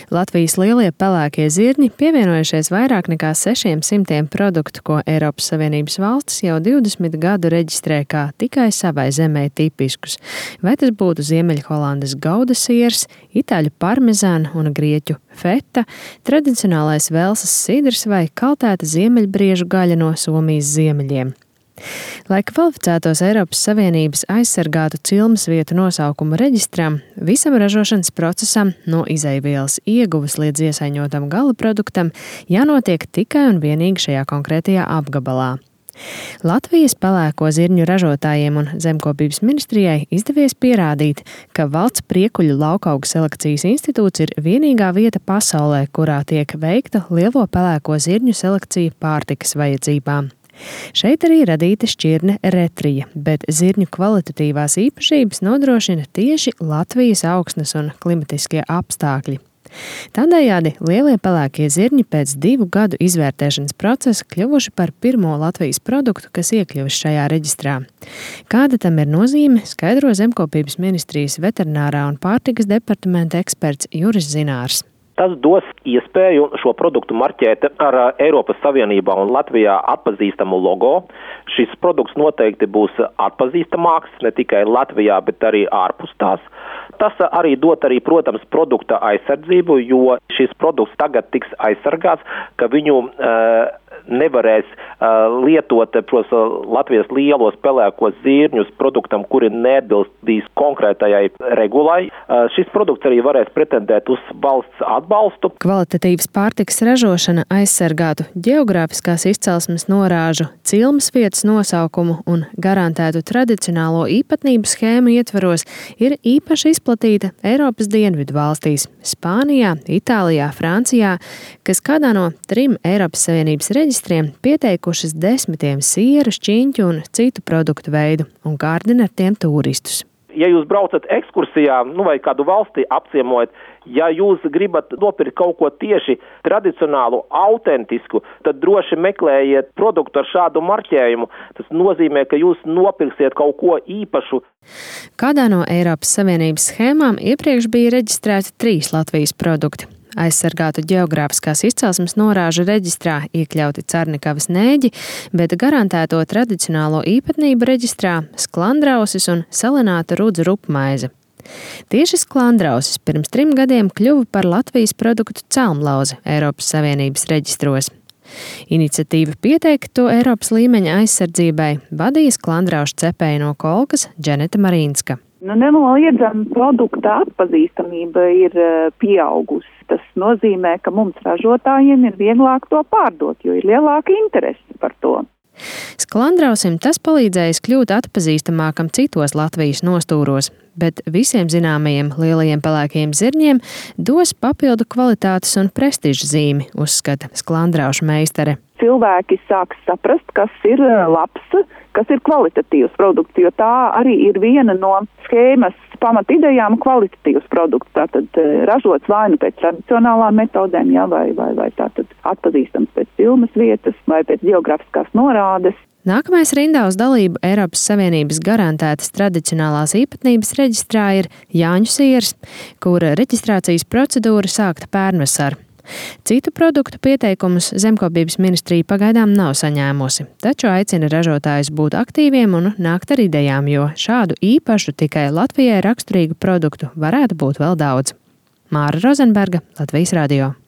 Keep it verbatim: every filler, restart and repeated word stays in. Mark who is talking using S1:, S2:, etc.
S1: Latvijas lielie pelēkie zirņi pievienojušies vairāk nekā sešiem simtiem produktu, ko Eiropas Savienības valstis jau divdesmit gadu reģistrē kā tikai savai zemē tipiskus. Vai tas būtu Ziemeļholandes gauda siers, itāļu parmezāna un grieķu feta, tradicionālais Velsas sidrs vai kaltēta ziemeļbriežu gaļa no Somijas ziemeļiem. Lai kvalificētos Eiropas Savienības aizsargātu cilmes vietu nosaukumu reģistram, visam ražošanas procesam no izeivielas ieguves līdz iesaiņotam gala produktam jānotiek tikai un vienīgi šajā konkrētajā apgabalā. Latvijas pelēko zirņu ražotājiem un Zemkopības ministrijai izdevies pierādīt, ka Valsts priekuļu laukaugu selekcijas institūts ir vienīgā vieta pasaulē, kurā tiek veikta lielo pelēko zirņu selekcija pārtikas vajadzībām. Šeit arī radīta šķirne retrija, bet zirņu kvalitatīvās īpašības nodrošina tieši Latvijas augsnes un klimatiskie apstākļi. Tādējādi lielie pelēkie zirņi pēc divu gadu izvērtēšanas procesa kļuvuši par pirmo Latvijas produktu, kas iekļuvis šajā reģistrā. Kāda tam ir nozīme, skaidro Zemkopības ministrijas veterinārā un pārtikas departamenta eksperts Juris Zinārs.
S2: Tas dos iespēju šo produktu marķēt ar Eiropas Savienībā un Latvijā atpazīstamu logo. Šis produkts noteikti būs atpazīstamāks ne tikai Latvijā, bet arī ārpus tās. Tas arī dot arī, protams, produkta aizsardzību, jo šis produkts tagad tiks aizsargāts, ka viņu uh, nevarēs uh, lietot pros, Latvijas lielos pelēkos zirņus produktam, kuri neatbilstīs konkrētajai regulai. Uh, šis produkts arī varēs pretendēt uz valsts atbalstu.
S1: Kvalitatīvas pārtikas ražošana aizsargātu ģeogrāfiskās izcelsmes norāžu, cilmes vietas nosaukumu un garantētu tradicionālo īpatnību schēmu ietvaros ir īpaši izplatīta Eiropas dienvidu valstīs – Spānijā, Itālijā, Francijā, kas kādā no trim Eiropas Savienības reģistriem pieteikušas desmitiem sieru, šķiņķu un citu produktu veidu un kārdina ar tiem turistus.
S2: Ja jūs braucat ekskursijā, nu vai kādu valsti apciemojat, ja jūs gribat nopirkt kaut ko tieši tradicionālu, autentisku, tad droši meklējiet produktu ar šādu marķējumu. Tas nozīmē, ka jūs nopirksiet kaut ko īpašu.
S1: Kādā no Eiropas Savienības schēmām iepriekš bija reģistrēti trīs Latvijas produkti. Aizsargātu ģeogrāfiskās izcelsmes norāžu reģistrā iekļauti Carnikavas nēģi, bet garantēto tradicionālo īpatnību reģistrā sklandrausis un salināta rudzu rupmaize. Tieši sklandrausis pirms trim gadiem kļuva par Latvijas produktu celmlauzi Eiropas Savienības reģistros. Iniciatīva pieteikt to Eiropas līmeņa aizsardzībai vadīja sklandraušu cepēju no Kolkas Dženeta Marīnska.
S3: Nu, nenoliedzami produkta atpazīstamība ir pieaugusi. Tas nozīmē, ka mums ražotājiem ir vieglāk to pārdot, jo ir lielāka interese par to.
S1: Sklandrausim tas palīdzējis kļūt atpazīstamākam citos Latvijas nostūros, bet visiem zināmajiem lielajiem pelēkajiem zirņiem dos papildu kvalitātes un prestiža zīmi, uzskata sklandraušu meistare.
S3: Cilvēki sāks saprast, kas ir labs, kas ir kvalitatīvs produkts, jo tā arī ir viena no schēmas pamatidejām kvalitatīvs produkts. Tātad ražots vai nu pēc tradicionālām metodēm, jā, vai, vai, vai tātad atpazīstams pēc cilmes vietas vai pēc ģeogrāfiskās norādes.
S1: Nākamais rindā uz dalību Eiropas Savienības garantētas tradicionālās īpatnības reģistrā ir Jāņu siers, kura reģistrācijas procedūra sākta pērnvasar. Citu produktu pieteikumus Zemkopības ministrija pagaidām nav saņēmusi, taču aicina ražotājus būt aktīviem un nākt ar idejām, jo šādu īpašu tikai Latvijai raksturīgu produktu varētu būt vēl daudz. Māra Rozenberga, Latvijas radio.